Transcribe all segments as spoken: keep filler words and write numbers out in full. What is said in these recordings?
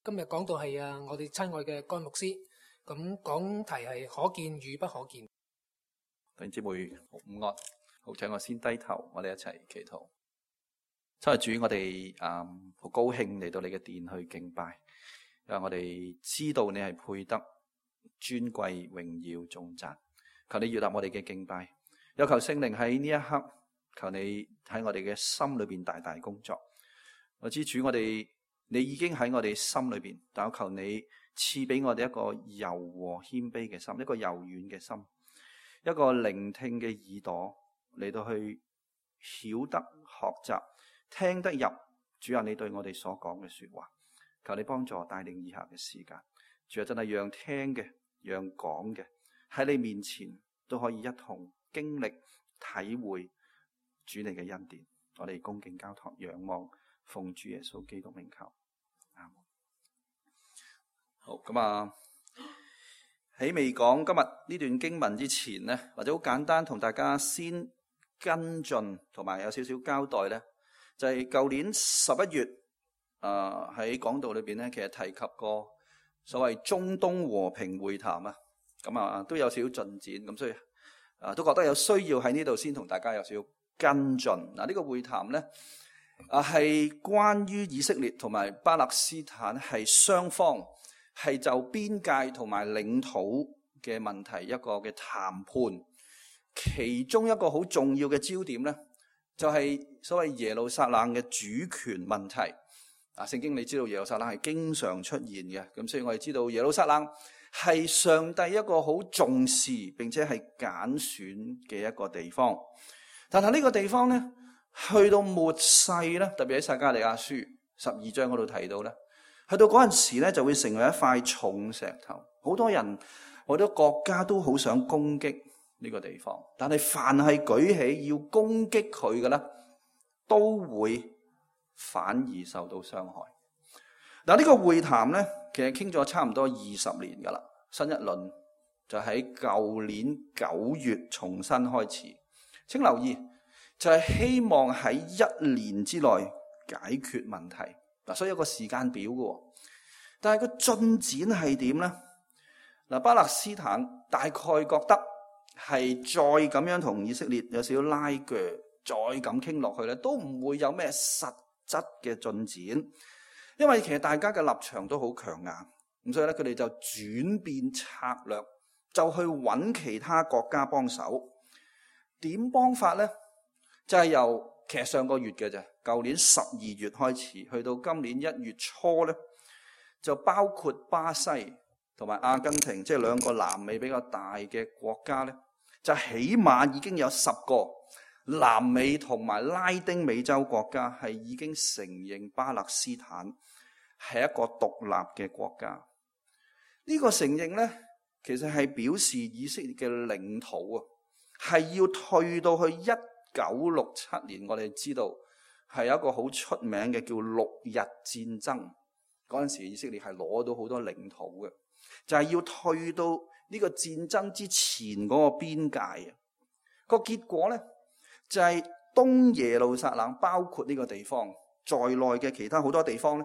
今日講到係啊，我哋親愛嘅甘牧師，咁講題係可見與不可見。弟兄姊妹午安，好，請我先低頭，我哋一齊祈禱。親愛的主，我哋嗯好高興嚟到你嘅殿去敬拜，因為我哋知道你係配得尊貴榮耀頌讚。求你悅納我哋嘅敬拜，有求聖靈喺呢一刻，求你喺我哋嘅心裏邊大大工作。我知主，我哋你已經喺我哋心裏邊，但我求你賜俾我哋一個柔和謙卑嘅心，一個柔軟嘅心，一個聆聽嘅耳朵嚟到去曉得學習聽得入主啊你對我哋所講嘅說話。求你幫助帶領以下嘅時間，主啊真係讓聽嘅讓講嘅喺你面前都可以一同經歷體會主你嘅恩典。我哋恭敬交託仰望奉主耶穌基督名求。阿門。好，咁啊喺未講今日呢段經文之前呢，或者好簡單同大家先跟進同埋有少少交代呢，就係舊年十一月啊喺講道裏邊呢，其實提及過所謂中東和平會談啊，咁啊都有少少進展，咁所以啊都覺得有需要喺呢度先同大家有少少跟進。嗱，呢個會談呢啊係關於以色列同埋巴勒斯坦係雙方係就邊界同埋領土嘅問題一個嘅談判，其中一個好重要嘅焦點呢，就係所謂耶路撒冷嘅主權問題。啊，聖經你知道耶路撒冷係經常出現嘅，咁所以我哋知道耶路撒冷係上帝一個好重視並且係揀選嘅一個地方。但係呢個地方呢，去到末世咧，特別喺撒迦利亞書十二章嗰度提到咧，去到嗰陣時咧就會成為一塊重石頭。好多人好多國家都好想攻擊呢個地方，但係凡係舉起要攻擊佢嘅咧，都會反而受到傷害。嗱，呢個會談咧，其實傾咗差唔多二十年噶啦，新一輪就喺舊年九月重新開始。請留意，就係希望喺一年之內解決問題。嗱，所以有個時間表嘅，但係個進展係點呢？嗱，巴勒斯坦大概覺得係再咁樣同以色列有少少拉鋸，再咁傾落去咧，都唔會有咩實質嘅進展，因為其實大家嘅立場都好強硬，咁所以咧佢哋就轉變策略，就去揾其他國家幫手。點幫法呢？就係由其實上個月嘅啫，舊年十二月開始，去到今年一月初呢，就包括巴西同埋阿根廷，即係兩個南美比較大嘅國家呢，就起碼已經有十個南美同埋拉丁美洲國家係已經承認巴勒斯坦係一個獨立嘅國家。呢個承認呢，其實係表示以色列嘅領土啊，係要退到去一九六七年，我哋知道係有一個好出名嘅叫六日戰爭。嗰陣時以色列係攞到好多領土嘅，就係要退到呢個戰爭之前嗰個邊界啊。個結果呢，就係東耶路撒冷，包括呢個地方在內嘅其他好多地方呢，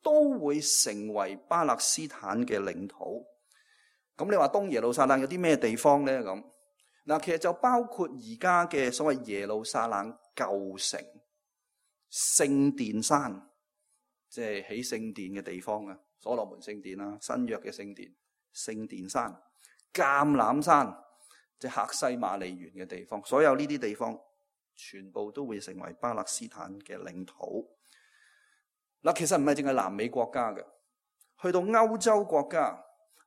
都會成為巴勒斯坦嘅領土。咁你話東耶路撒冷有啲咩地方呢？咁嗱，其實就包括而家嘅所謂耶路撒冷舊城、聖殿山，即係起聖殿嘅地方啊，所羅門聖殿啦、新約嘅聖殿、聖殿山、橄欖山，即係客西馬尼園嘅地方，所有呢啲地方全部都會成為巴勒斯坦嘅領土。嗱，其實唔係淨係南美國家嘅，去到歐洲國家，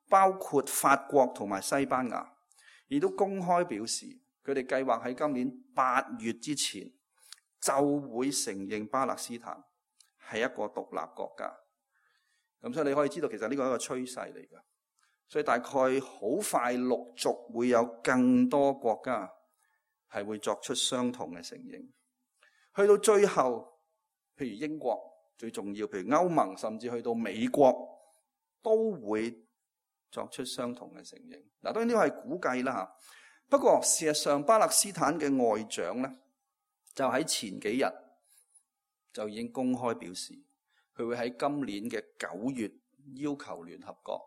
包括法國同埋西班牙，亦都公開表示，佢哋計劃喺今年八月之前就會承認巴勒斯坦係一個獨立國家。咁所以你可以知道，其實呢個係一個趨勢嚟㗎。所以大概好快陸續會有更多國家係會作出相同嘅承認。去到最後，譬如英國最重要，譬如歐盟，甚至去到美國，都會作出相同嘅承認。嗱，當然呢個係估計啦嚇。不過事實上，巴勒斯坦嘅外長咧，就喺前幾日就已經公開表示，佢會喺今年嘅九月要求聯合國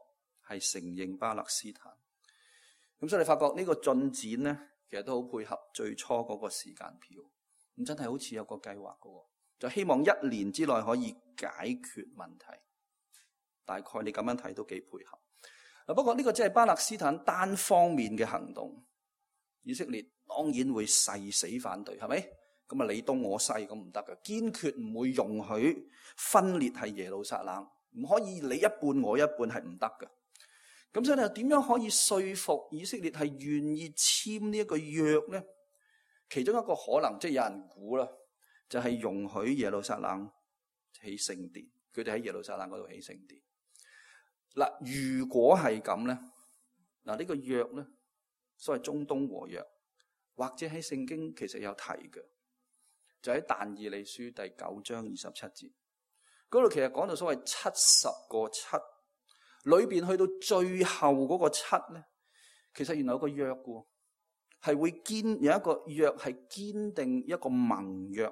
係承認巴勒斯坦。咁所以你發覺呢個進展咧，其實都好配合最初嗰個時間表。咁真係好似有個計劃嘅，就希望一年之內可以解決問題。大概你咁樣睇都幾配合。不過呢個只係巴勒斯坦單方面嘅行動，以色列當然會誓死反對，係咪？咁啊，你東我西咁唔得嘅，堅決唔會容許分裂係耶路撒冷，唔可以你一半我一半，係唔得嘅。咁所以你又點樣可以說服以色列係願意簽呢一個約呢？其中一個可能，即係有人估啦，就係容許耶路撒冷起聖殿，佢哋喺耶路撒冷嗰度起聖殿。嗱，如果係咁咧，嗱呢個約咧，所謂中東和約，或者喺聖經其實有提嘅，就喺但以理書第九章二十七節嗰度，其實講到所謂七十個七裏邊，去到最後嗰個七咧，其實原來有個約嘅，係會堅有一個約係堅定一個盟約。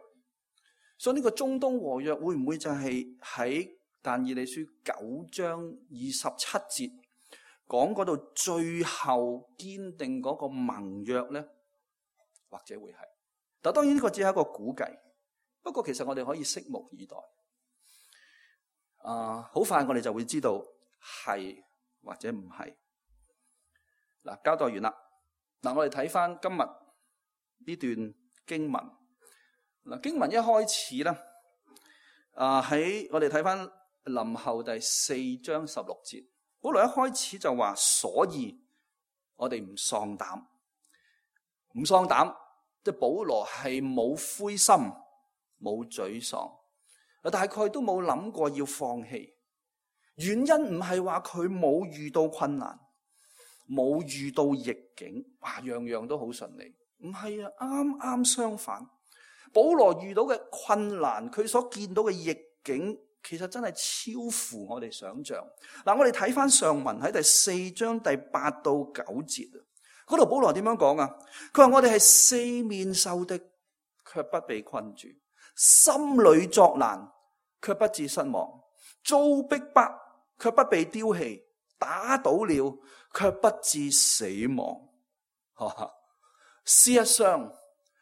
所以呢個中東和約會唔會就係喺但以理書九章二十七節講嗰度最後堅定嗰個盟約呢？或者會係，但當然呢個只係一個估計。不過其實我哋可以拭目以待。啊，好快我哋就會知道係或者唔係。嗱，交代完啦。嗱，我哋睇翻今日呢段經文。嗱，經文一開始咧，啊喺我哋睇翻林後第四章十六節，保羅一開始就話，所以我哋唔喪膽，唔喪膽，即係保羅係冇灰心，冇沮喪，大概都冇諗過要放棄。原因唔係話佢冇遇到困難，冇遇到逆境，哇，樣樣都好順利，唔係啊，啱啱相反。保羅遇到嘅困難，佢所見到嘅逆境，其實真係超乎我哋想象。嗱，我哋睇翻上文喺第四章第八到九節啊，嗰度保羅點樣講啊？佢話我哋係四面受敵，卻不被困住；心裏作難，卻不致失望；遭逼迫，卻不被丟棄；打倒了，卻不致死亡。事實上，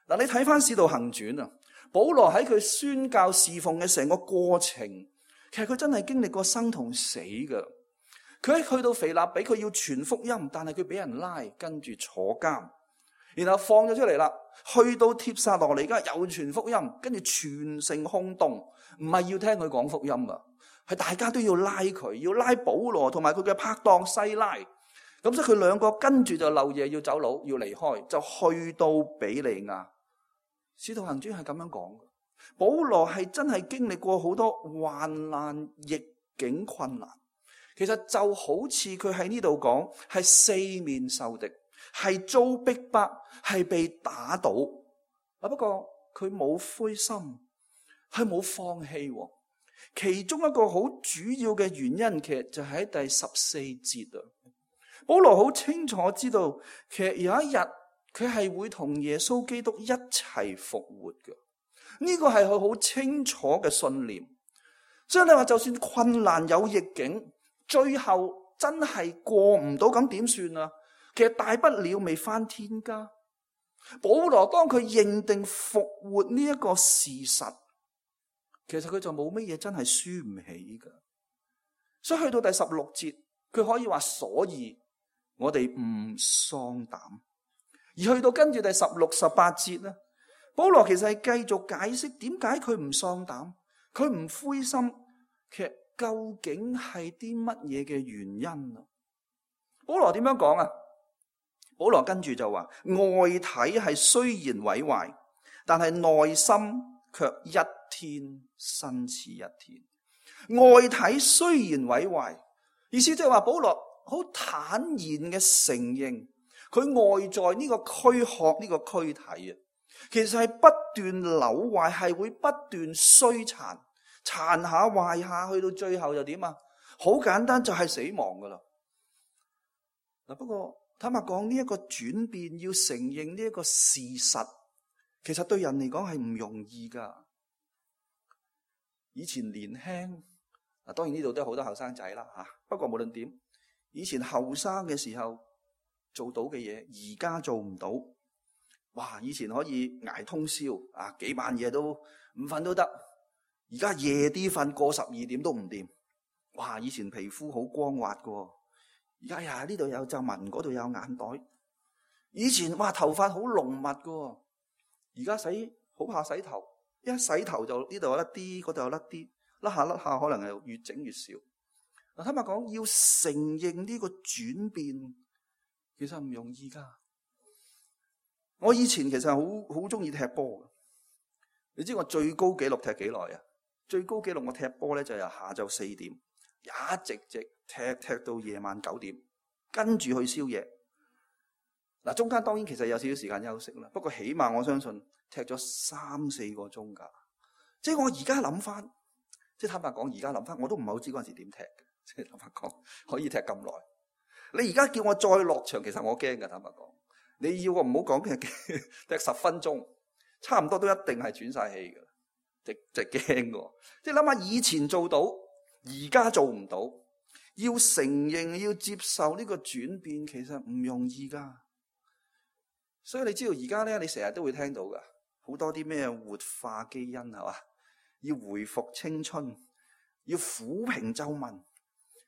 嗱，你睇翻《使徒行傳》啊，保羅喺佢宣教侍奉嘅成個過程，其實佢真係經歷過生同死噶。佢喺去到腓立比，佢要傳福音，但係佢俾人拉，跟住坐監，然後放咗出嚟啦。去到帖撒羅尼迦又傳福音，跟住全城轟動，唔係要聽佢講福音啊，係大家都要拉佢，要拉保羅同埋佢嘅拍檔西拉。咁所以佢兩個跟住就漏夜要走佬，要離開，就去到比利亞。使徒行傳係咁樣講嘅，保羅係真係經歷過好多患難、逆境、困難。其實就好似佢喺呢度講，係四面受敵，係遭逼迫，係被打倒。啊，不過佢冇灰心，佢冇放棄。其中一個好主要嘅原因，其實就喺第十四節啊。保羅好清楚知道，其實有一日，佢係會同耶穌基督一齊復活嘅，呢個係佢好清楚嘅信念。所以你話就算困難有逆境，最後真係過唔到，咁點算啊？其實大不了未返天家。保羅當佢認定復活呢一個事實，其實佢就冇乜嘢真係輸唔起噶。所以去到第十六節，佢可以話，所以我哋唔喪膽。而去到跟住第十六、十八節咧，保羅其實係繼續解釋點解佢唔喪膽，佢唔灰心，其實究竟係啲乜嘢嘅原因啊？保羅點樣講啊？保羅跟住就話，外體係雖然毀壞，但係內心卻一天新似一天。外體雖然毀壞，意思即係話保羅好坦然嘅承認，佢外在呢個軀殼呢個軀體啊，其實係不斷扭壞，係會不斷衰殘，殘下壞下，去到最後就點啊？好簡單，就係死亡噶啦。嗱，不過坦白講，呢一個轉變，要承認呢一個事實，其實對人嚟講係唔容易噶。以前年輕啊，當然呢度都有好多後生仔啦嚇。不過無論點，以前後生嘅時候做到嘅嘢，而家做唔到。哇！以前可以捱通宵啊，幾晚夜都唔瞓都得。而家夜啲瞓，過十二點都唔掂。哇！以前皮膚好光滑噶，而家呀呢度有皺紋，嗰度有眼袋。以前哇頭髮好濃密噶，而家洗好怕洗頭，一洗頭就呢度有甩啲，嗰度有甩啲，甩下甩下可能係越整越少。嗱，坦白講，要承認呢個轉變，其實唔容易噶。我以前其實好好中意踢波嘅，你知我最高紀錄踢幾耐啊？最高紀錄我踢波咧就由下晝四點一直直踢踢到夜晚九點，跟住去宵夜。嗱，中間當然其實有少少時間休息啦，不過起碼我相信踢咗三四個鐘噶。即係我而家諗翻，即係坦白講，而家諗翻我都唔係好知嗰陣時點踢嘅。即係坦白講，可以踢咁耐。你而家叫我再落場，其實我驚噶。坦白講，你要我唔好講踢踢十分鐘，差唔多都一定係喘晒氣噶。直直驚喎，即係諗下以前做到，而家做唔到，要承認要接受呢個轉變，其實唔容易噶。所以你知道而家咧，你成日都會聽到噶，好多啲咩活化基因係嘛，要回復青春，要撫平皺紋，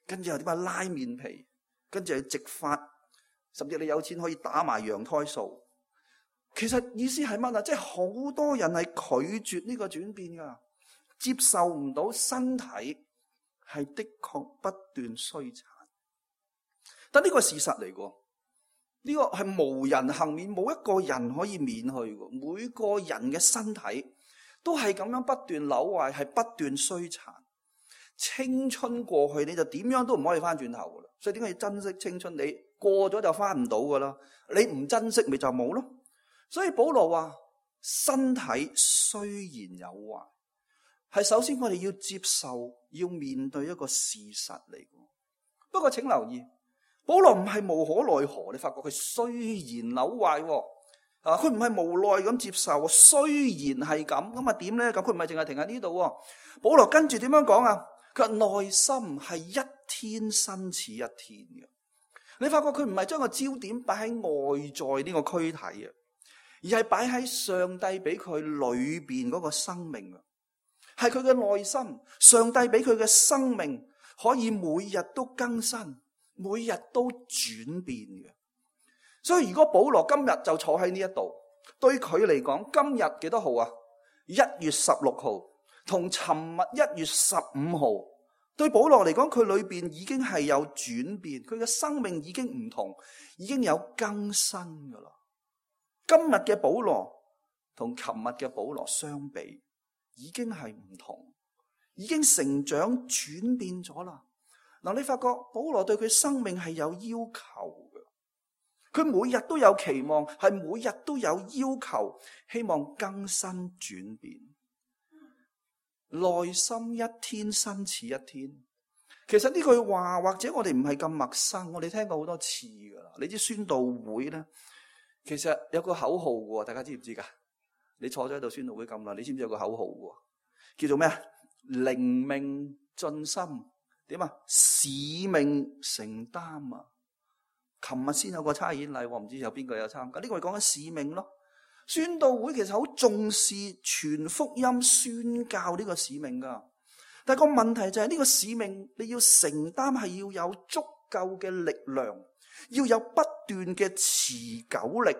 跟住又點啊拉面皮，跟住又植髮，甚至你有錢可以打埋羊胎素。其實意思係乜啊？即係好多人係拒絕呢個轉變噶，接受唔到身體係的確不斷衰殘。但呢個係事實嚟噶，呢個係無人幸免，冇一個人可以免去噶。每個人嘅身體都係咁樣不斷朽壞，係不斷衰殘。青春過去你就點樣都唔可以翻轉頭噶啦，所以點解要珍惜青春？你過咗就翻唔到噶啦，你唔珍惜咪就冇咯。所以保羅話身體雖然有壞，係首先我哋要接受，要面對一個事實嚟。不過請留意，保羅唔係無可奈何，你發覺佢雖然朽壞，啊，佢唔係無奈咁接受，雖然係咁，咁啊點咧？咁佢唔係淨係停喺呢度。保羅跟住點樣講啊？佢話內心係一天新似一天嘅。你發覺佢唔係將個焦點擺喺外在呢個軀體啊，而係擺喺上帝俾佢裏邊嗰個生命啊，係佢嘅內心。上帝俾佢嘅生命可以每日都更新，每日都轉變嘅。所以如果保羅今日就坐喺呢一度，對佢嚟講，今日幾多號啊？一月十六號，同尋日一月十五號，對保羅嚟講，佢裏邊已經係有轉變，佢嘅生命已經唔同，已經有更新噶啦。今日嘅保羅同琴日嘅保羅相比，已經係唔同，已經成長轉變咗啦。嗱，你發覺保羅對佢生命係有要求嘅，佢每日都有期望，係每日都有要求，希望更新轉變，內心一天新似一天。其實呢句話或者我哋唔係咁陌生，我哋聽過好多次噶啦。你知宣道會咧，其實有個口號嘅，大家知唔知噶？你坐咗喺度宣道會咁耐，你知唔知有個口號嘅？叫做咩啊？靈命進心，點啊？使命承擔啊！琴日先有個差遣禮，我唔知有邊個有參加。呢個係講緊使命咯。宣道會其實好重視傳福音、宣教呢個使命噶。但係個問題就係呢個使命你要承擔，係要有足夠嘅力量，要有不斷嘅持久力，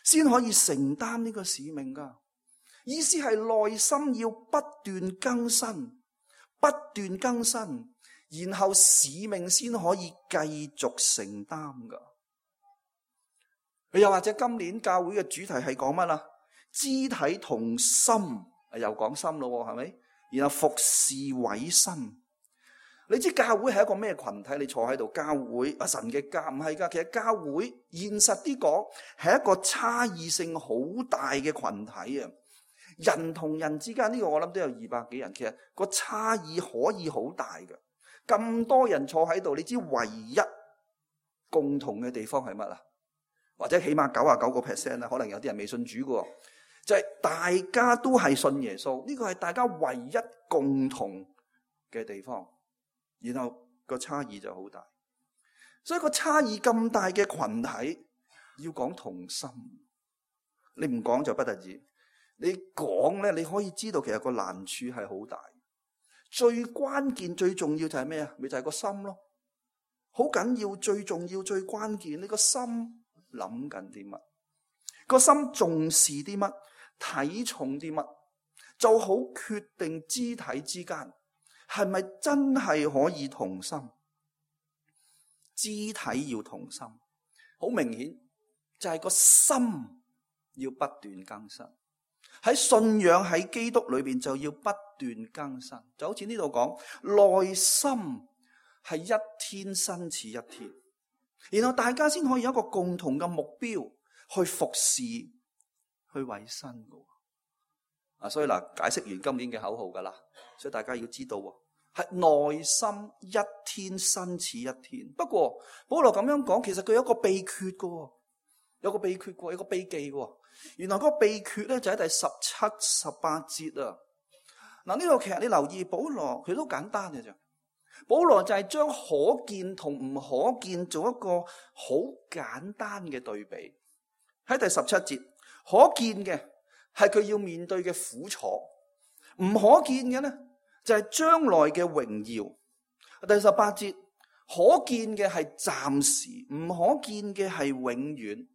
先可以承擔呢個使命噶。意思係內心要不斷更新，不斷更新，然後使命先可以繼續承擔噶。又或者今年教會嘅主題係講乜啦？肢體同心，又講心咯，係咪？然後服侍委身。你知教會係一個咩群體？你坐喺度，教會啊，神嘅家唔係噶。其實教會現實啲講係一個差異性好大嘅群體啊。人同人之間呢個我諗都有二百幾人，其實個差異可以好大嘅。咁多人坐喺度，你知唯一共同嘅地方係乜啊？或者起碼九十九個 percent 啦，可能有啲人未信主嘅，就係大家都係信耶穌。呢個係大家唯一共同嘅地方。然後個差異就好大。所以個差異咁大嘅群體要講同心，你唔講就不得止，你講咧，你可以知道其實個難處係好大。最關鍵最重要就係咩啊？咪就係個心咯，好緊要，最重要最關鍵，你個心諗緊啲乜？個心重視啲乜？睇重啲乜？就好決定肢體之間係咪真係可以同心？肢體要同心，好明顯就係個心要不斷更新。喺信仰喺基督裏邊就要不斷更新，就好似呢度講，內心係一天新似一天，然後大家先可以有一個共同嘅目標去服侍、去委身嘅。啊，所以嗱，解釋完今年嘅口號噶啦，所以大家要知道係內心一天新似一天。不過保羅咁樣講，其實佢有一個秘訣嘅，有個秘訣嘅，有個秘技嘅。原來嗰個秘訣咧就喺第十七、十八節啊。嗱，呢度其實你留意，保羅佢都簡單嘅啫。保羅就係將可見同唔可見做一個好簡單嘅對比。喺第十七節，可見嘅係佢要面對嘅苦楚，唔可見嘅咧就係將來嘅榮耀。第十八節，可見嘅係暫時，唔可見嘅係永遠。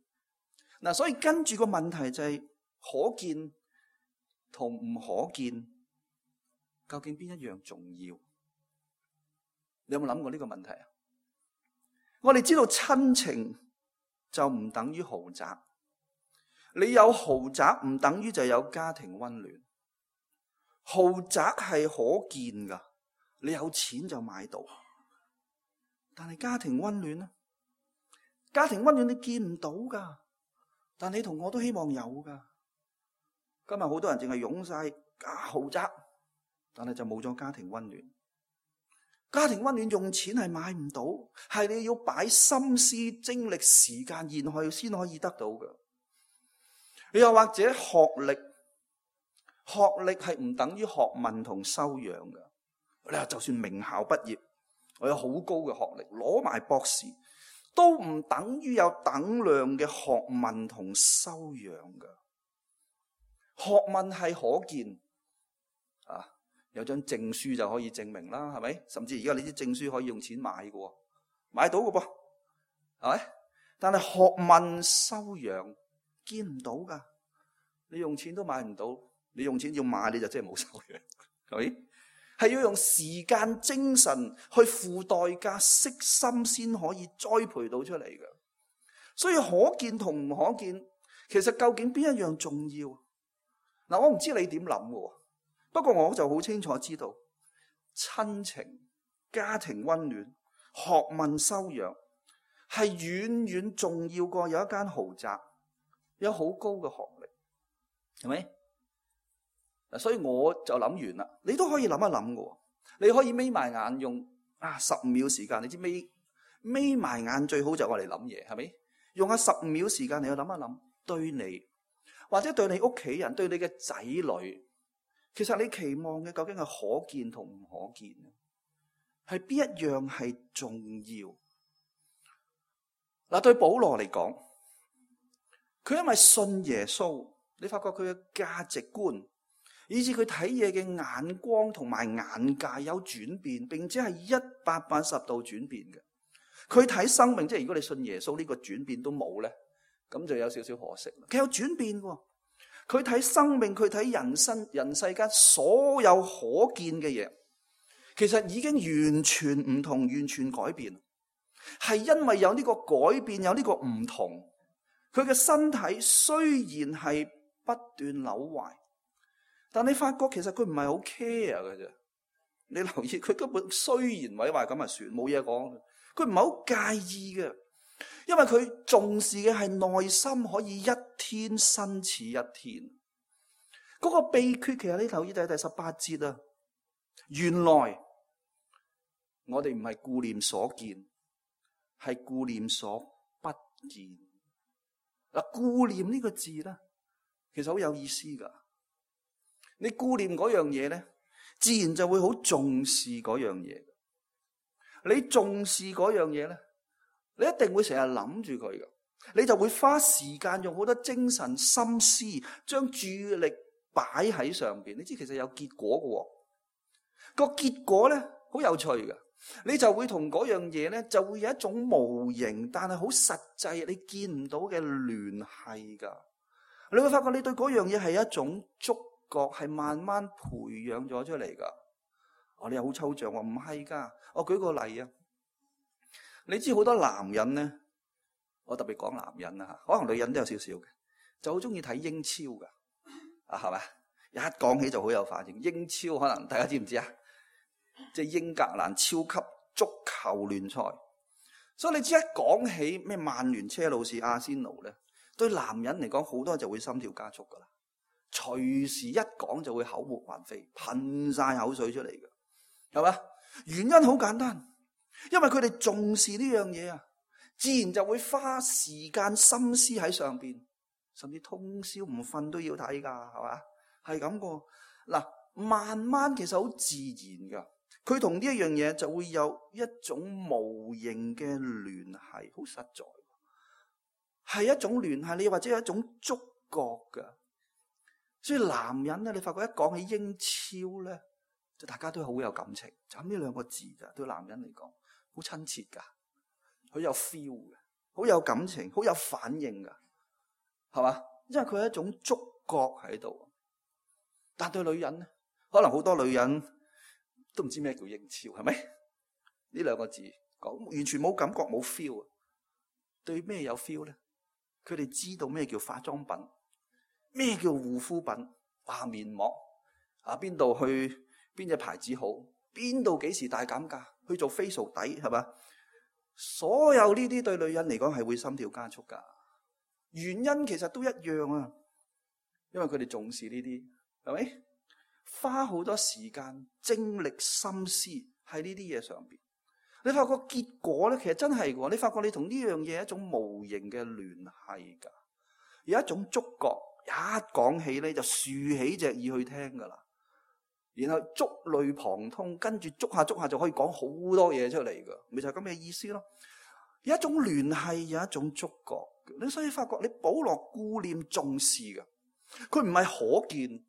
嗱，所以跟住個問題就係可見同唔可見，究竟邊一樣重要？你有冇諗過呢個問題啊？我哋知道親情就唔等於豪宅，你有豪宅唔等於就有家庭溫暖。豪宅係可見噶，你有錢就買到。但係家庭溫暖呢？家庭溫暖你見唔到噶。但你同我都希望有噶。今日好多人淨係湧晒豪宅，但係就冇咗家庭溫暖。家庭溫暖用錢係買唔到，係你要擺心思、精力、時間然去先可以得到嘅。又或者學歷，學歷係唔等於學問同修養嘅。你話就算名校畢業，我有好高嘅學歷，攞埋博士，都唔等於有等量嘅學問同修養嘅。學問係可見啊，有張證書就可以證明啦，係咪？甚至而家你啲證書可以用錢買嘅，買到嘅噃，係咪？但係學問修養見唔到噶，你用錢都買唔到，你用錢要買你就真係冇修養，係咪？係要用時間、精神去付代價、悉心先可以栽培到出嚟嘅。所以可見同唔可見，其實究竟邊一樣重要？嗱，我唔知你點諗嘅，不過我就好清楚知道，親情、家庭溫暖、學問修養係遠遠重要過有一間豪宅，有好高嘅學歷，係咪？所以我就諗完啦，你都可以諗一諗嘅。你可以眯埋眼用啊十五秒時間，你知眯眯埋眼最好就係我嚟諗嘢，係咪？用下十五秒時間你去諗一諗，對你或者對你屋企人、對你嘅仔女，其實你期望嘅究竟係可見同唔可見？係邊一樣係重要？嗱，對保羅嚟講，佢因為信耶穌，你發覺佢嘅價值觀，以至佢睇嘢嘅眼光同埋眼界有轉變，並且係一百八十度轉變嘅。佢睇生命，即係如果你信耶穌呢個轉變都冇咧，咁就有少少可惜。佢有轉變嘅，佢睇生命，佢睇人生、人世間所有可見嘅嘢，其實已經完全唔同，完全改變。係因為有呢個改變，有呢個唔同，佢嘅身體雖然係不斷扭壞。但你發覺其實佢唔係好 care 嘅啫，你留意佢根本雖然毀壞咁就算，冇嘢講，佢唔係好介意嘅，因為佢重視嘅係內心可以一天新似一天。嗰個秘訣其實你留意第第十八節啊，原來我哋唔係顧念所見，係顧念所不見。嗱，顧念呢個字咧，其實好有意思噶。你顧念嗰樣嘢咧，自然就會好重視嗰樣嘢。你重視嗰樣嘢咧，你一定會成日諗住佢㗎，你就會花時間用好多精神心思，將注意力擺喺上邊。你知其實有結果㗎喎，個結果咧好有趣㗎，你就會同嗰樣嘢咧就會有一種無形但係好實際你見唔到嘅聯繫㗎。你會發覺你對嗰樣嘢係一種觸覺，係慢慢培養咗出嚟㗎。哦，你又好抽象喎，唔係㗎。我舉個例啊，你知好多男人咧，我特別講男人啊，可能女人都有少少嘅，就好中意睇英超㗎，啊係咪？一講起就好有反應。英超可能大家知唔知啊？即係英格蘭超級足球聯賽。所以你知一講起咩曼聯、車路士、阿仙奴咧，對男人嚟講好多就會心跳加速㗎啦，隨時一講就會口沫橫飛，噴晒口水出嚟㗎。係嘛？原因好簡單，因為佢哋重視呢樣嘢啊，自然就會花時間心思喺上邊，甚至通宵唔瞓都要睇噶，係嘛？係咁個嗱，慢慢其實好自然噶，佢同呢一樣嘢就會有一種無形嘅聯繫，好實在，係一種聯繫，你或者係一種觸覺噶。所以男人咧，你發覺一講起英超咧，就大家都好有感情，就咁呢兩個字咋，對男人嚟講好親切噶，好有 feel 嘅，好有感情，好有反應噶，係嘛？因為佢係一種觸覺喺度。但對女人咧，可能好多女人都唔知咩叫英超，係咪？呢兩個字講完全冇感覺，冇 feel 啊。對咩有 feel 咧？佢哋知道咩叫化妝品，咩叫護膚品，哇面膜啊，邊度去？邊隻牌子好？邊度幾時大減價？去做 facial 底係嘛？所有呢啲對女人嚟講係會心跳加速噶。原因其實都一樣啊，因為佢哋重視呢啲，係咪？花好多時間、精力、心思喺呢啲嘢上邊。你發覺結果咧，其實真係喎。你發覺你同呢樣嘢一種無形嘅聯繫噶，有一種觸覺，一講起咧就豎起隻耳去聽噶啦。然後觸類旁通，跟住捉下捉下就可以講好多嘢出嚟噶，咪就係咁嘅意思咯。有一種聯繫，有一種觸覺。你所以發覺你保羅顧念重視嘅，佢唔係可見，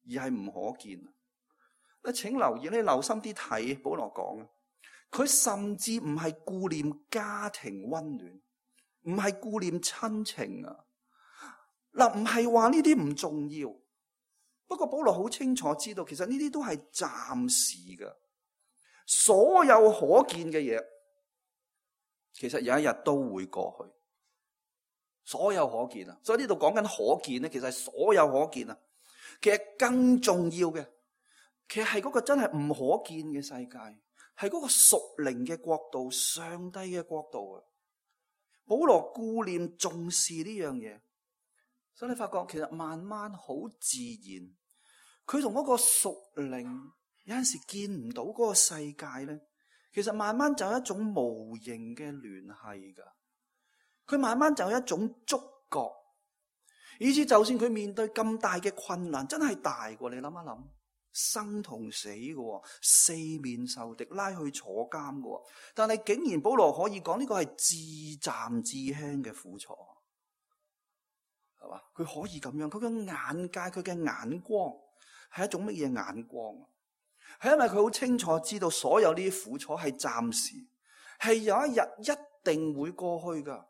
而係唔可見。你請留意，你留心啲睇保羅講，佢甚至唔係顧念家庭溫暖，唔係顧念親情啊。嗱，唔係話呢啲唔重要。不過保羅好清楚知道，其實呢啲都係暫時嘅，所有可見嘅嘢，其實有一日都會過去。所有可見啊，所以呢度講緊可見咧，其實係所有可見啊。其實更重要嘅，其實係嗰個真係唔可見嘅世界，係嗰個屬靈嘅國度，上帝嘅國度啊。保羅顧念重視呢樣嘢，所以你發覺其實慢慢好自然。佢同嗰個屬靈有陣時見唔到嗰個世界咧，其實慢慢就有一種無形嘅聯繫噶。佢慢慢就有一種觸覺，以至就算佢面對咁大嘅困難，真係大過你諗一諗，生同死嘅，四面受敵，拉去坐監嘅，但係竟然保羅可以講呢個係至暫至輕嘅苦楚，係嘛？佢可以咁樣，佢嘅眼界，佢嘅眼光。係一種乜嘢眼光？係因為佢好清楚知道所有呢啲苦楚係暫時，係有一日一定會過去噶，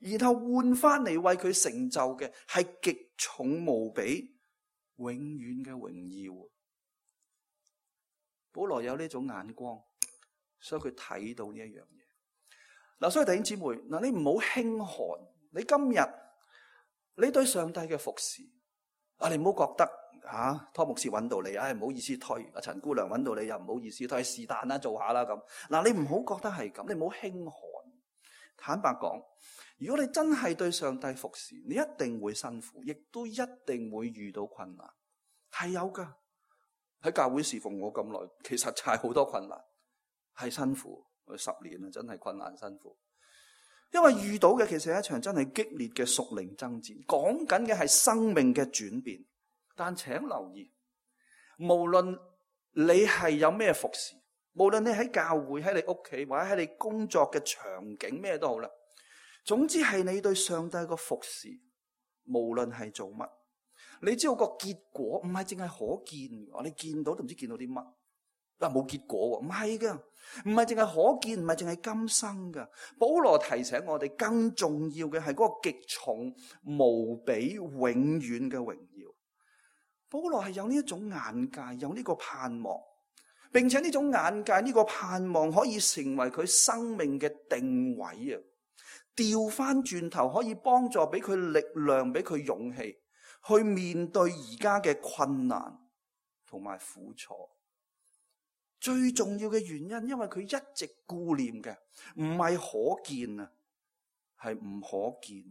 然後換翻嚟為佢成就嘅係極重無比、永遠嘅榮耀。保羅有呢種眼光，所以佢睇到呢一樣嘢。嗱，所以弟兄姊妹，嗱，你唔好輕看，你今日你對上帝嘅服侍，啊，你唔好覺得。吓、啊，湯牧師揾到你，唉、哎，唔好意思推。阿陳姑娘揾到你，又唔好意思推，是但啦，做下啦咁。嗱，你唔好覺得係咁，你唔好輕看。坦白講，如果你真係對上帝服侍，你一定會辛苦，亦都一定會遇到困難，係有噶。喺教會侍奉我咁耐，其實就係好多困難，係辛苦。我十年啦，真係困難辛苦。因為遇到嘅其實係一場真係激烈嘅屬靈爭戰，講緊嘅係生命嘅轉變。但請留意，無論你係有咩服侍，無論你喺教會、喺你屋企或者喺你工作嘅場景咩都好啦，總之係你對上帝個服侍，無論係做乜，你知道個結果唔係淨係可見嘅，你見到都唔知見到啲乜。嗱，冇結果喎，唔係噶，唔係淨係可見，唔係淨係今生噶。保羅提醒我哋，更重要嘅係嗰個極重無比永遠嘅榮耀。保羅係有呢一種眼界，有呢個盼望，並且呢種眼界、呢個盼望可以成為佢生命嘅定位啊！調翻轉頭可以幫助俾佢力量，俾佢勇氣去面對而家嘅困難同埋苦楚。最重要嘅原因，因為佢一直顧念嘅唔係可見啊，係唔可見。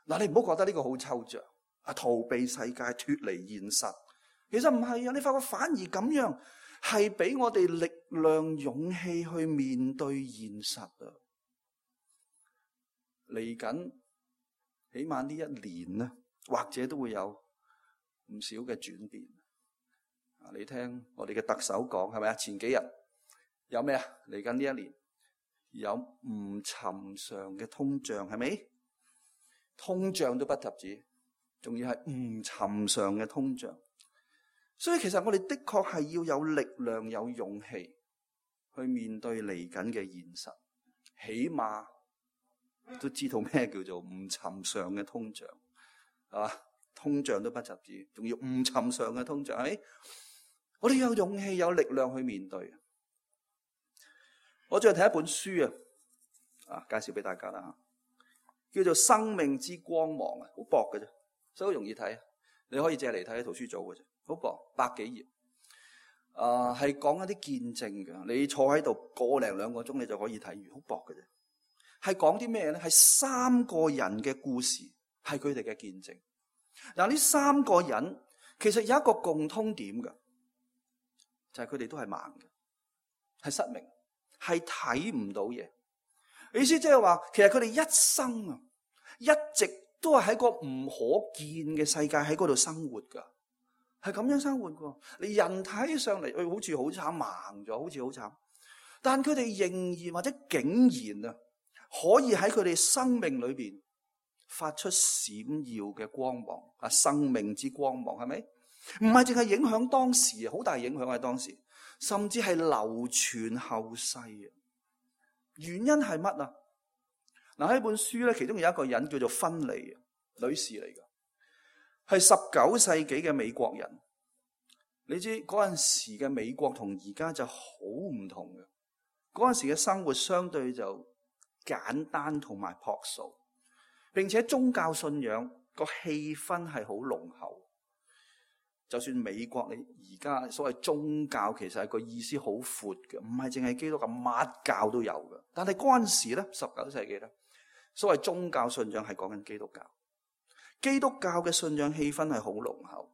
嗱，你唔好覺得呢個好抽象啊，逃避世界、脫離現實。其實唔係啊，你發覺反而咁樣係俾我哋力量、勇氣去面對現實啊！嚟緊起碼呢一年咧，或者都會有唔少嘅轉變。你聽我哋嘅特首講係咪啊？前幾日有咩啊？嚟緊呢一年有唔尋常嘅通脹，係咪？通脹都不特止，仲要係唔尋常嘅通脹。所以其實我哋的確係要有力量、有勇氣去面對嚟緊嘅現實，起碼都知道咩叫做唔尋常嘅通脹，係嘛？通脹都不特止，仲要唔尋常嘅通脹，係咪？我哋有勇氣、有力量去面對。我最近睇一本書啊，啊，介紹俾大家啦，叫做《生命之光芒》啊，好薄嘅啫，所以好容易睇。你可以借嚟睇喺圖書組嘅啫，好薄，百幾頁。啊，係講一啲見證嘅，你坐喺度個零兩個鐘，你就可以睇完，好薄嘅啫。係講啲咩咧？係三個人嘅故事，係佢哋嘅見證。嗱，呢三個人其實有一個共通點嘅。就係佢哋都係盲嘅，係失明，係睇唔到嘢。意思即係話，其實佢哋一生啊，一直都係喺個唔可見嘅世界喺嗰度生活噶，係咁樣生活噶。你人睇上嚟，誒，好似好慘，盲咗，好似好慘。但佢哋仍然或者竟然啊，可以喺佢哋生命裏邊發出閃耀嘅光芒啊！生命之光芒係咪？唔係淨係影響當時，好大影響喺當時，甚至係流傳後世啊！原因係乜啊？嗱，喺本書咧，其中有一個人叫做芬妮女士嚟噶，係十九世紀嘅美國人。你知嗰陣時嘅美國同而家就好唔同嘅，嗰陣時嘅生活相對就簡單同埋樸素，並且宗教信仰個氣氛係好濃厚。就算美國你而家所謂宗教，其實係個意思好闊嘅，唔係淨係基督教，乜教都有嘅。但係嗰陣時咧，十九世紀咧，所謂宗教信仰係講緊基督教，基督教嘅信仰氣氛係好濃厚。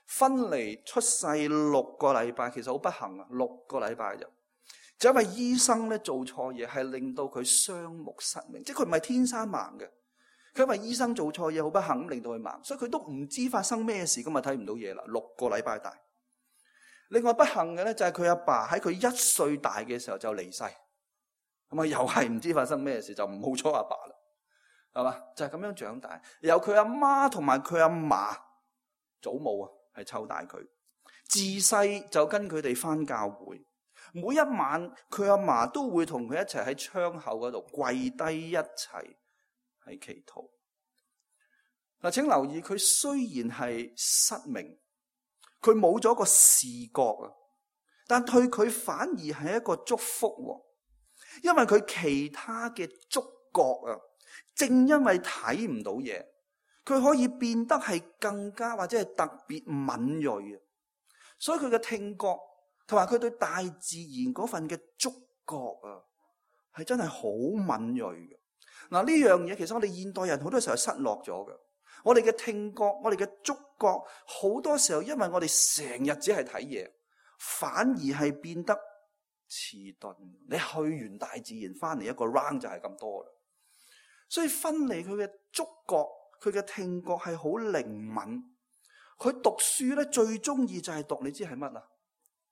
芬妮出世六個禮拜，其實好不幸啊，六個禮拜就就因為醫生咧做錯嘢，係令到佢雙目失明，即係佢唔係天生盲嘅。佢因為醫生做錯嘢，好不幸令到佢盲，所以佢都唔知發生咩事，咁啊睇唔到嘢啦。六個禮拜大。另外不幸嘅咧就係佢阿爸喺佢一歲大嘅時候就離世，咁啊又係唔知發生咩事，就唔好彩阿爸啦，係嘛？就係咁樣長大。由佢阿媽同埋佢阿嫲祖母啊，係湊大佢，自細就跟佢哋返教會。每一晚佢阿嫲都會同佢一齊喺窗口嗰度跪低一齊。係祈禱。嗱，請留意，佢雖然係失明，佢冇咗個視覺啊，但對佢反而係一個祝福，因為佢其他嘅觸覺啊，正因為睇唔到嘢，佢可以變得係更加或者係特別敏銳啊，所以佢嘅聽覺同埋佢對大自然嗰份嘅觸覺啊，係真係好敏銳嘅。嗱，呢樣嘢其實我哋現代人好多時候失落咗嘅。我哋嘅聽覺，我哋嘅觸覺，好多時候因為我哋成日只係睇嘢，反而係變得遲鈍。你去完大自然翻嚟一個 round 就係咁多啦。所以芬妮佢嘅觸覺，佢嘅聽覺係好靈敏。佢讀書咧最中意就係讀，你知係乜啊？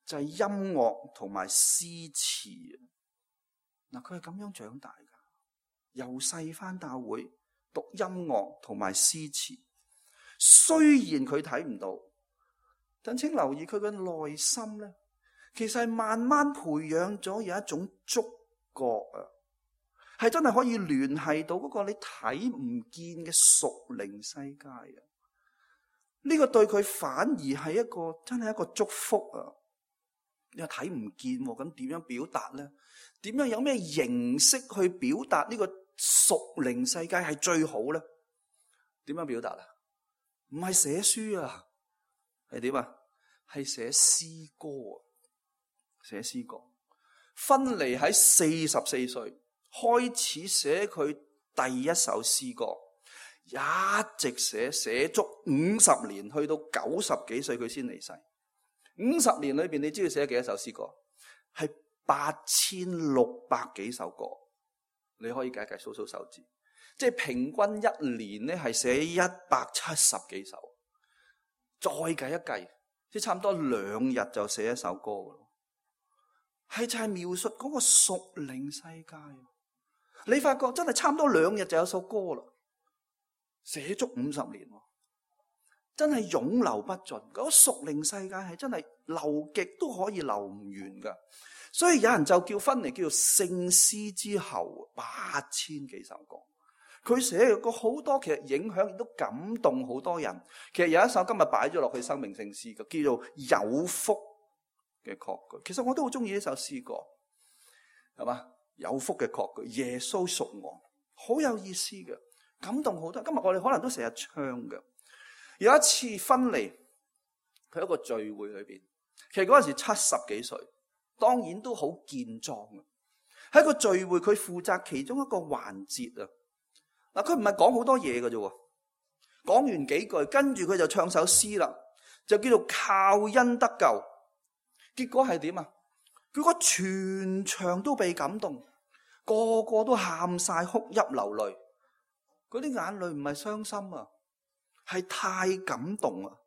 就係音樂同埋詩詞。嗱，佢係咁樣長大噶，由細返教會讀音樂同埋詩詞。雖然佢睇唔到，但請留意佢嘅內心咧，其實係慢慢培養咗有一種觸覺啊，係真係可以聯繫到嗰個你睇唔見嘅屬靈世界啊！呢個對佢反而係一個真係一個祝福啊！你又睇唔見，咁點樣表達咧？點樣有咩形式去表達呢個屬靈世界係最好咧？點樣表達啊？唔係寫書啊，係點啊？係寫詩歌啊！寫詩歌。芬尼喺四十四歲開始寫佢第一首詩歌，一直寫寫足五十年，去到九十幾歲佢先離世。五十年裏邊，你知道寫咗幾多首詩歌？係八千六百幾首歌。你可以計一計，數數手指，即係平均一年咧係寫一百七十幾首。再計一計，即係差唔多兩日就寫一首歌咯。係就係描述嗰個屬靈世界。你發覺真係差唔多兩日就有首歌啦，寫足五十年。真係湧流不盡，嗰個屬靈世界係真係流極都可以流唔完噶，所以有人就叫芬尼叫做聖詩之后，八千幾首歌，佢寫過好多，其實影響亦都感動好多人。其實有一首今日擺咗落去生命聖詩嘅，叫做有福嘅確據。其實我都好中意呢首詩歌，係嘛？有福嘅確據，耶穌屬我，好有意思嘅，感動好多。今日我哋可能都成日唱嘅。有一次芬尼佢喺一個聚會裏邊，其實嗰陣時七十幾歲，當然都好健壯嘅。喺個聚會佢負責其中一個環節啊。嗱，佢唔係講好多嘢嘅啫，講完幾句，跟住佢就唱首詩啦，就叫做靠恩得救。結果係點啊？佢個全場都被感動，個個都喊晒，哭泣流淚。嗰啲眼淚唔係傷心啊，係太感動啊！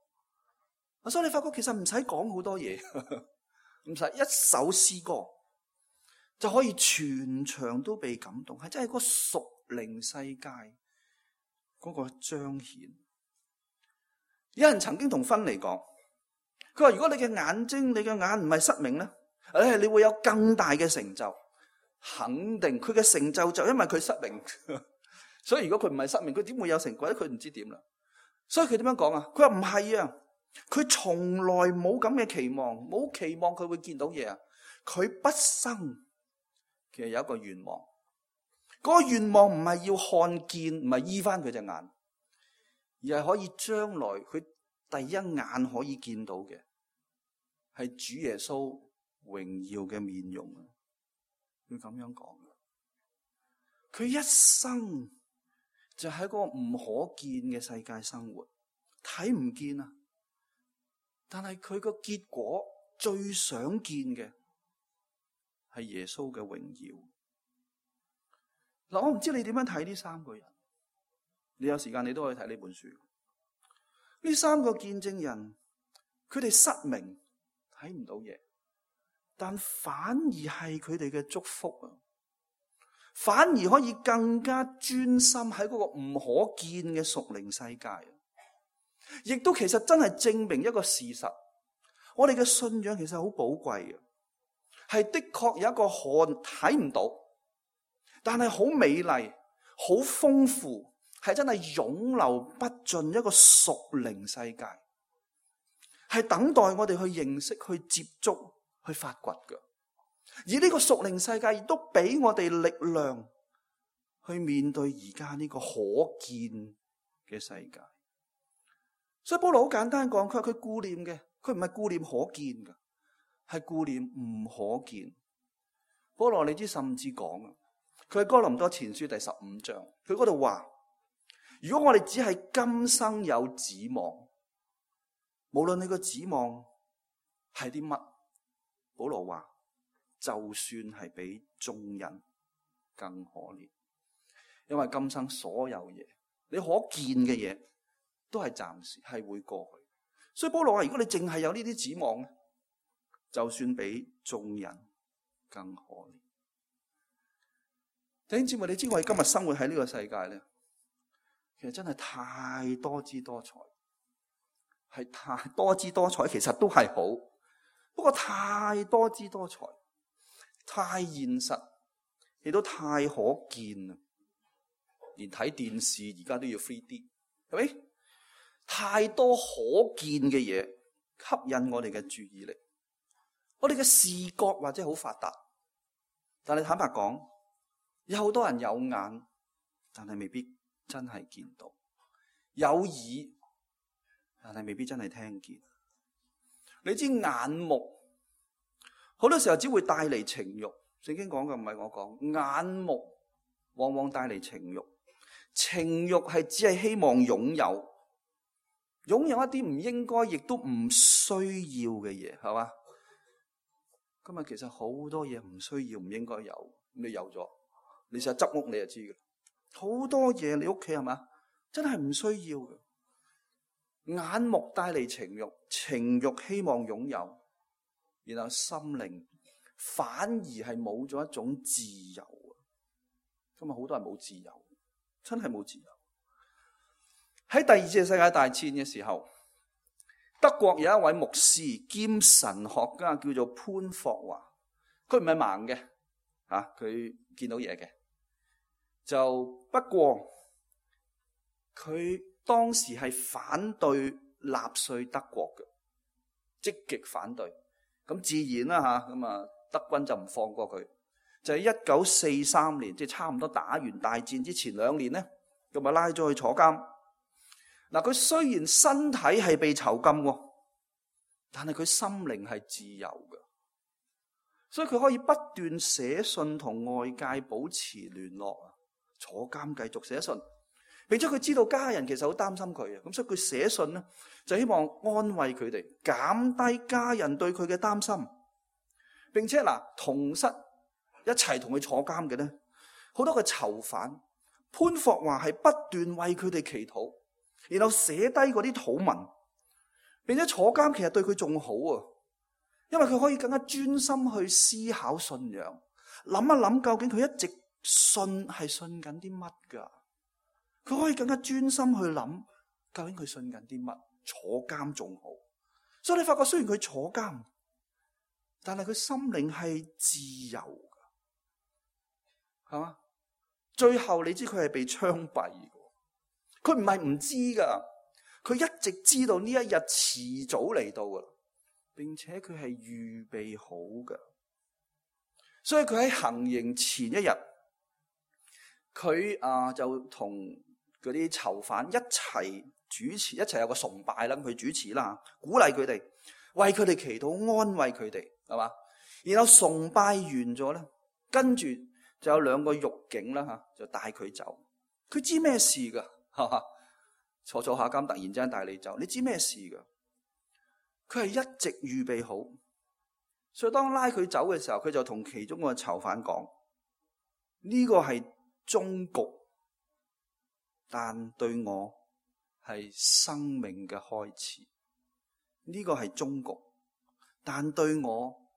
所以你發覺其實唔使講好多嘢，唔使一首詩歌就可以全場都被感動，係真係個屬靈世界嗰個彰顯。有人曾經同芬尼講，佢話如果你嘅眼睛、你嘅眼唔係失明咧，誒，你會有更大嘅成就。肯定佢嘅成就就因為佢失明，所以如果佢唔係失明，佢點會有成果咧？佢唔知點啦。所以佢點樣講啊？佢話唔係啊，佢從來冇咁嘅期望，冇期望佢會見到嘢啊。佢畢生其實有一個願望，嗰個願望唔係要看見，唔係醫翻佢隻眼，而係可以將來佢第一眼可以見到嘅係主耶穌榮耀嘅面容啊！佢咁樣講，佢一生就喺個唔可見嘅世界生活，睇唔見啊！但係佢個結果最想見嘅係耶穌嘅榮耀。嗱，我唔知你點樣睇呢三個人，你有時間你都可以睇呢本書。呢三個見證人，佢哋失明，睇唔到嘢，但反而係佢哋嘅祝福啊！反而可以更加專心喺嗰個唔可見嘅屬靈世界，亦都其實真係證明一個事實，我哋嘅信仰其實好寶貴嘅，係的確有一個看睇唔到，但係好美麗、好豐富，係真係湧流不盡一個屬靈世界，係等待我哋去認識、去接觸、去發掘嘅。而呢個屬靈世界亦都俾我哋力量去面對而家呢個可見嘅世界。所以保羅好簡單講，佢話佢顧念嘅，佢唔係顧念可見嘅，係顧念唔可見。保羅你知甚至講啊，佢喺哥林多前書第十五章，佢嗰度話，如果我哋只係今生有指望，無論你個指望係啲乜，保羅話，就算係比眾人更可憐，因為今生所有嘢，你可見嘅嘢都係暫時，係會過去。所以保羅話，如果你淨係有呢啲指望咧，就算比眾人更可憐。弟兄姊妹，你知我哋今日生活喺呢個世界咧，其實真係太多姿多彩，係太多姿多彩，其實都係好，不過太多姿多彩，太現實，亦都太可見啦。連睇電視而家都要 three D， 係咪？太多可見嘅嘢吸引我哋嘅注意力，我哋嘅視覺或者好發達，但係坦白講，有好多人有眼，但係未必真係見到；有耳，但係未必真係聽見。你知眼目好多時候只會帶嚟情慾，聖經講嘅唔係我講，眼目往往帶嚟情慾。情慾係只係希望擁有，擁有一啲唔應該亦都唔需要嘅嘢，係嘛？今日其實好多嘢唔需要唔應該有，你有咗，你成日執屋你就知嘅。好多嘢你屋企係嘛，真係唔需要嘅。眼目帶嚟情慾，情慾希望擁有，然後心靈反而係冇咗一種自由。今日好多人冇自由。真係冇自由。喺第二次世界大戰嘅時候，德國有一位牧師兼神學家叫做潘霍華，佢唔係盲嘅，吓佢見到嘢嘅。就不過佢當時係反對納粹德國嘅，積極反對。咁自然啦吓，咁啊德軍就唔放過佢。就喺一九四三年，即係差唔多打完大戰之前兩年咧，咁啊拉咗去坐監。嗱，佢雖然身體係被囚禁喎，但係佢心靈係自由嘅，所以佢可以不斷寫信同外界保持聯絡啊。坐監繼續寫信，並且佢知道家人其實好擔心佢啊，咁所以佢寫信咧就希望安慰佢哋，減低家人對佢嘅擔心，並且嗱同室。一齊同佢坐監嘅咧，好多個囚犯，潘霍華係不斷為佢哋祈禱，然後寫低嗰啲禱文，並且坐監其實對佢仲好啊，因為佢可以更加專心去思考信仰，諗一諗究竟佢一直信係信緊啲乜噶，佢可以更加專心去諗究竟佢信緊啲乜，坐監仲好，所以你發覺雖然佢坐監，但係佢心靈係自由。係嘛？最後你知佢係被槍斃嘅，佢唔係唔知噶，佢一直知道呢一日遲早嚟到噶，並且佢係預備好噶。所以佢喺行刑前一日，佢啊就同嗰啲囚犯一齊主持，一齊有個崇拜啦，佢主持啦，鼓勵佢哋，為佢哋祈禱，安慰佢哋，係嘛？然後崇拜完咗咧，跟住。就有兩個獄警啦吓，就帶佢走。佢知咩事噶？哈哈，坐坐下監，突然之間帶你走，你知咩事噶？佢係一直預備好，所以當拉佢走嘅時候，佢就同其中個囚犯講：呢個係終局，但對我係生命嘅開始。呢個係終局，但對我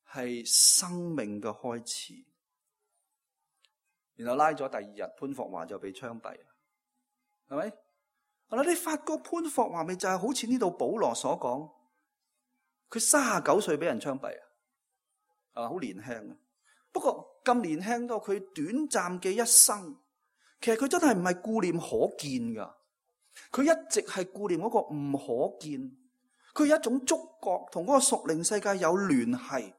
係生命嘅開始。然後拉咗第二日，潘霍華就被槍斃，係咪？嗱，你發覺潘霍華咪就係好似呢度保羅所講，佢三十九歲俾人槍斃啊，啊，好年輕啊。不過咁年輕到佢短暫嘅一生，其實佢真係唔係顧念可見噶，佢一直係顧念嗰個唔可見，佢有一種觸覺同嗰個屬靈世界有聯繫。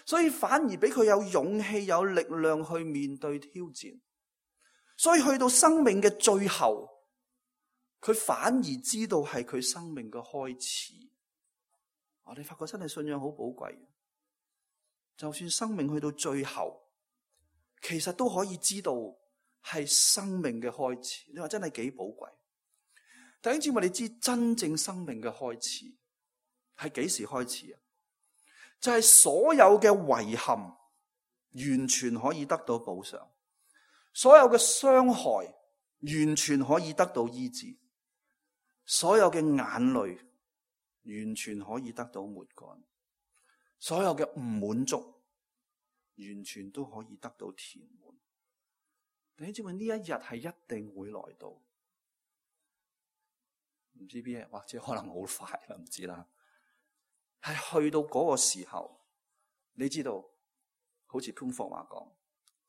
所以反而俾佢有勇氣、有力量去面對挑戰。所以去到生命嘅最後，佢反而知道係佢生命嘅開始。我哋發覺真係信仰好寶貴。就算生命去到最後，其實都可以知道係生命嘅開始。你話真係幾寶貴？弟兄姊妹，你知真正生命嘅開始係幾時開始啊？就係所有嘅遺憾完全可以得到補償，所有嘅傷害完全可以得到醫治，所有嘅眼淚完全可以得到抹乾，所有嘅唔滿足，完全都可以得到填滿。弟兄姊妹，呢一日係一定會來到，唔知邊日，或者可能好快啦，唔知啦。係去到嗰個時候，你知道，好似潘霍華講，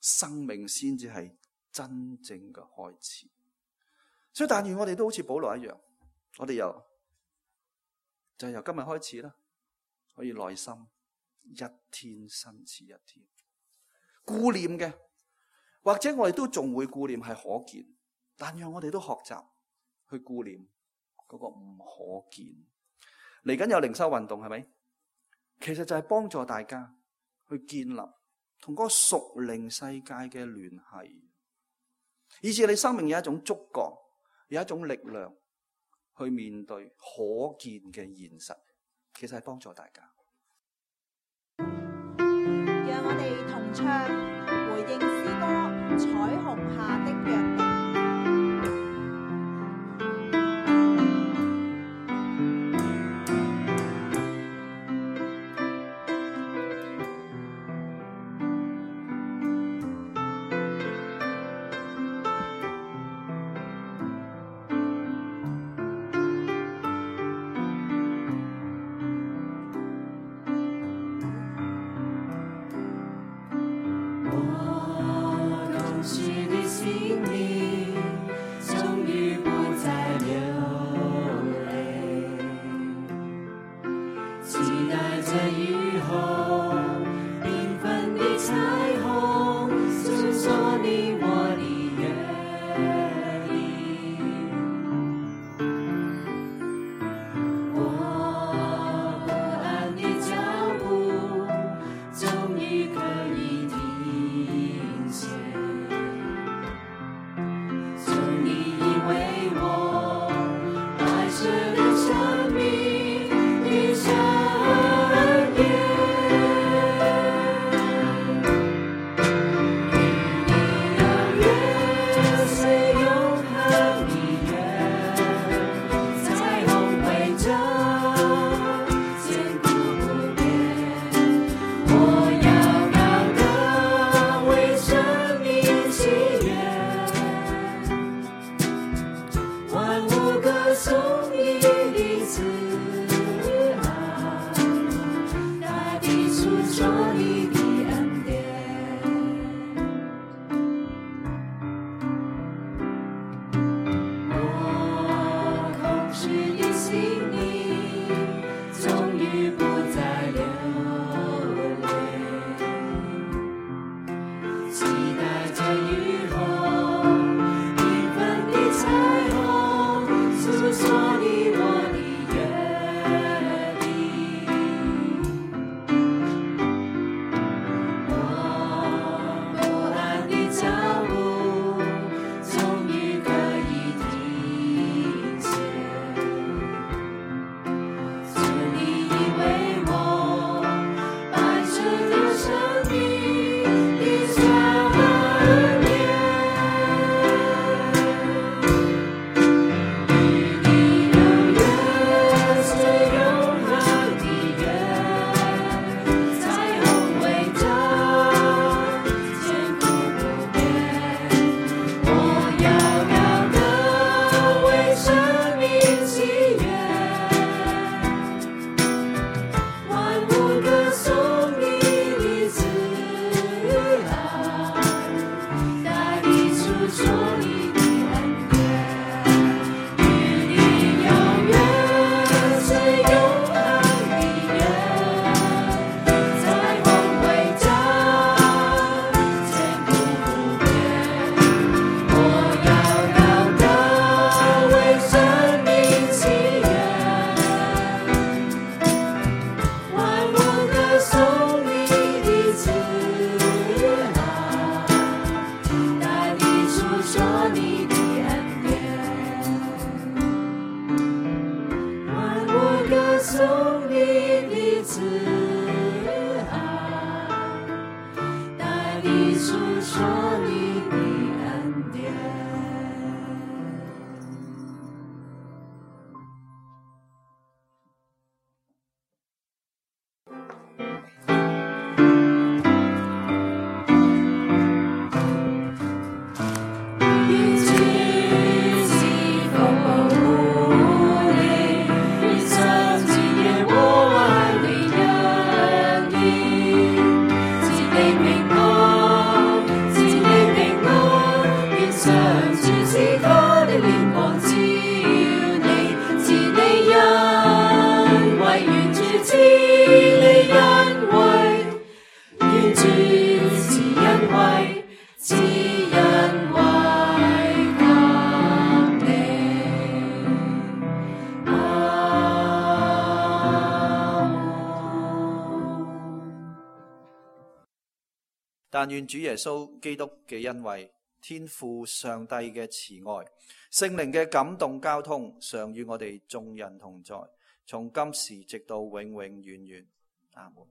生命先至係真正嘅開始。所以但願我哋都好似保羅一樣，我哋由就係由今日開始啦，可以耐心一天新似一天，顧念嘅，或者我哋都仲會顧念係可見，但讓我哋都學習去顧念嗰個唔可見。嚟緊有靈修運動係咪？其實就係幫助大家去建立同嗰個屬靈世界嘅聯繫，以致你生命有一種觸覺，有一種力量去面對可見嘅現實。其實係幫助大家。讓我哋同唱回應詩歌《彩虹下的約定》。说只因為給你。阿門。但願主耶穌基督嘅恩惠、天父上帝嘅慈愛、聖靈嘅感動交通，常與我哋眾人同在，從今時直到永永遠遠。阿門。